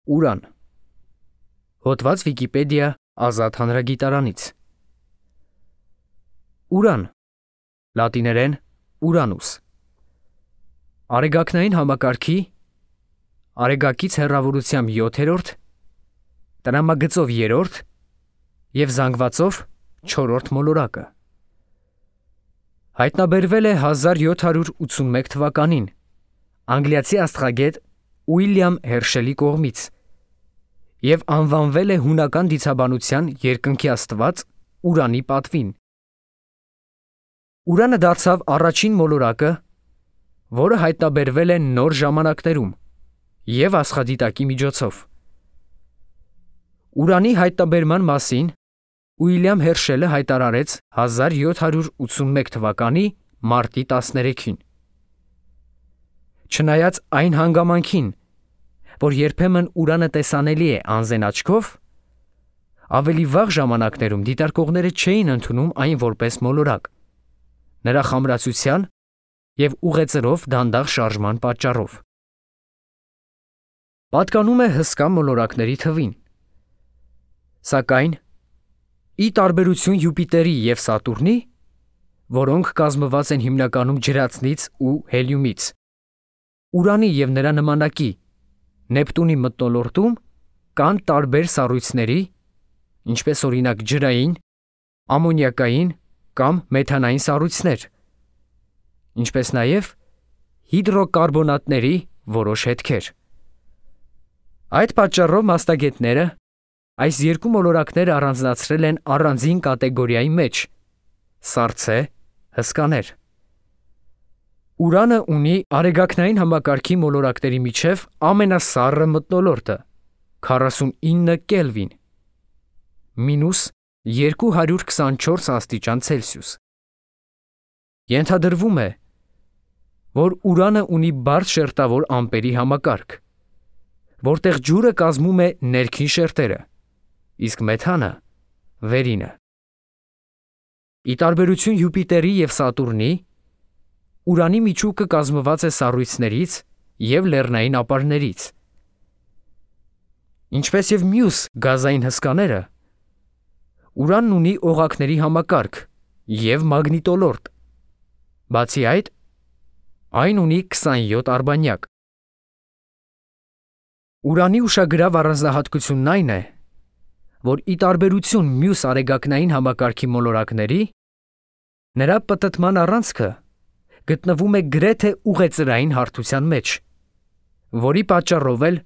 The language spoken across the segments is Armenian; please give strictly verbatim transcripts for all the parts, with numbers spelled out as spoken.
Ուրան։ Հոդված Վիկիպեդիա ազատ հանրագիտարանից։ Ուրան, լատիներեն Ուրանուս, արեգակնային համակարգի արեգակից հեռավորությամբ յոթերորդ, տրամագծով երրորդ և զանգվածով չորրորդ մոլորակը։ Հայտնաբերվել է հազար յոթ հարյուր ութսունմեկ թվականին անգլիացի աստղագետ Ուիլյամ Հերշելի կողմից և անվանվել է հունական դիցաբանության երկնքի աստված Ուրանի պատվին։ Ուրանը դարձավ առաջին մոլորակը, որը հայտնաբերվել է նոր ժամանակներում և աստղադիտակի միջոցով։ Ուրանի հայտնաբերման մասին Ուիլյամ Հերշելը հայտարարեց հազար յոթ հարյուր ութսունմեկ թվականի մարտի տասներեքին։ Չնայած այն հանգամանքին, որ երբեմն Ուրանը տեսանելի է անզեն աչքով, ավելի վաղ ժամանակներում դիտարկողները չէին ընդունում այն որպես մոլորակ, նրա խամրացության և ուղեծրով դանդաղ շարժման պատճառով։ Պատկանում է հսկա մոլորակների թվին։ Սակայն, ի տարբերություն Յուպիտերի և Սատուրնի, որոնք կազմված են հիմնականում ջրածնից ու հելիումից, Ուրանի և նրա նմանակի Նեպտունի մթնոլորտում կան տարբեր սառույցների, ինչպես օրինակ ջրային, ամոնիակային կամ մեթանային սառույցներ, ինչպես նաև հիդրոկարբոնատների որոշ հետքեր։ Այդ պատճառով մասնագետները այս երկու մոլորակները առանձնացրել են առանձին կատեգորիայի մեջ՝ սառցե հսկաներ։ Ուրանը ունի արեգակնային համակարգի մոլորակների միջև ամենասառը մթնոլորտը՝ քառասունինը կելվին (մինուս երկու հարյուր քսանչորս աստիճան Ցելսիուս)։ Ենթադրվում է, որ Ուրանը ունի բարդ շերտավոր ամպերի համակարգ, որտեղ ջուրը կազմում է ներքին շերտերը, իսկ մեթանը՝ վերինը։ Ի տարբերություն Յուպիտերի և Սատուրնի, Ուրանի միջուկը կազմված է սառույցներից և լեռնային ապարներից։ Ինչպես և մյուս գազային հսկաները, Ուրանն ունի օղակների համակարգ և մագնիտոլորտ, բացի այդ, այն ունի քսանյոթ արբանյակ։ Ուրանի ուշագրավ առանձնահատկությունն այն է, որ ի տարբերություն մյուս արեգակնային համակարգի մոլորակների, նրա պտտման առանցքը գտնվում է գրեթե ուղեծրային հարթության մեջ, որի պատճառով էլ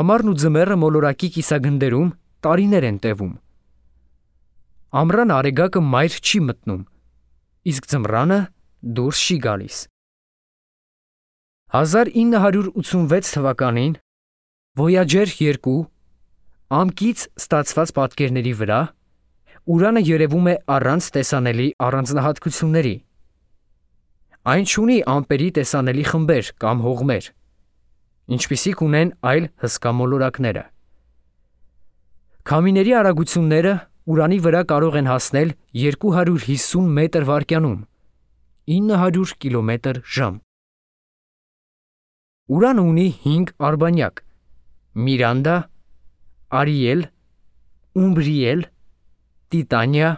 ամառն ու ձմեռը մոլորակի կիսագնդերում տարիներ են տևում։ Ամռան արեգակը մայր չի մտնում, իսկ ձմռանը դուրս չի գալիս։ հազար ինը հարյուր ութսունվեց թվականին Voyager երկու ամկից ստացված պատկերների վրա Ուրանը երևում է առանց տեսանելի առանձնահատկությունների։ Այն չունի ամպերի տեսանելի խմբեր կամ հողմեր, ինչպիսիք ունեն այլ հսկա մոլորակները։ Քամիների արագությունները Ուրանի վրա կարող են հասնել երկու հարյուր հիսուն մետր վայրկյանում (ինը հարյուր կիլոմետր ժամ)։ Ուրանը ունի հինգ արբանյակ՝ Միրանդա, Արիել, Ումբրիել, Տիտանիա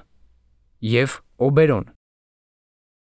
և Օբերոն։